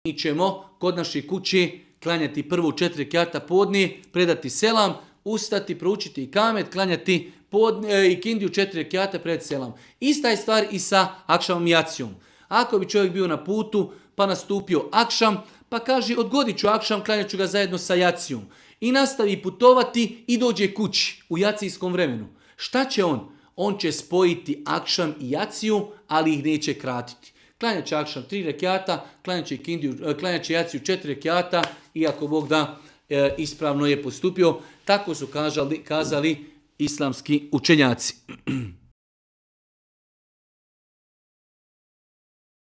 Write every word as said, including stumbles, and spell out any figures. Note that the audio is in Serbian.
Mi ćemo kod naše kuće klanjati prvu četiri rekata podne, predati selam, ustati, proučiti ikamet, klanjati podne, i kindiju četiri rekata, predati selam. Ista je stvar i sa akšamom i jacijom. Ako bi čovjek bio na putu, pa nastupio akšam, pa kaže odgodit ću akšam, klanjat ću ga zajedno sa jacijom. I nastavi putovati i dođe kući u jacijskom vremenu. Šta će on? On će spojiti akšam i jaciju, ali ih neće kratiti. Klanjat će akšam tri rekata, klanjat će, kindiju, klanjat će jaciju četiri rekata, i ako Bog da, e, ispravno je postupio. Tako su kazali, kazali islamski učenjaci.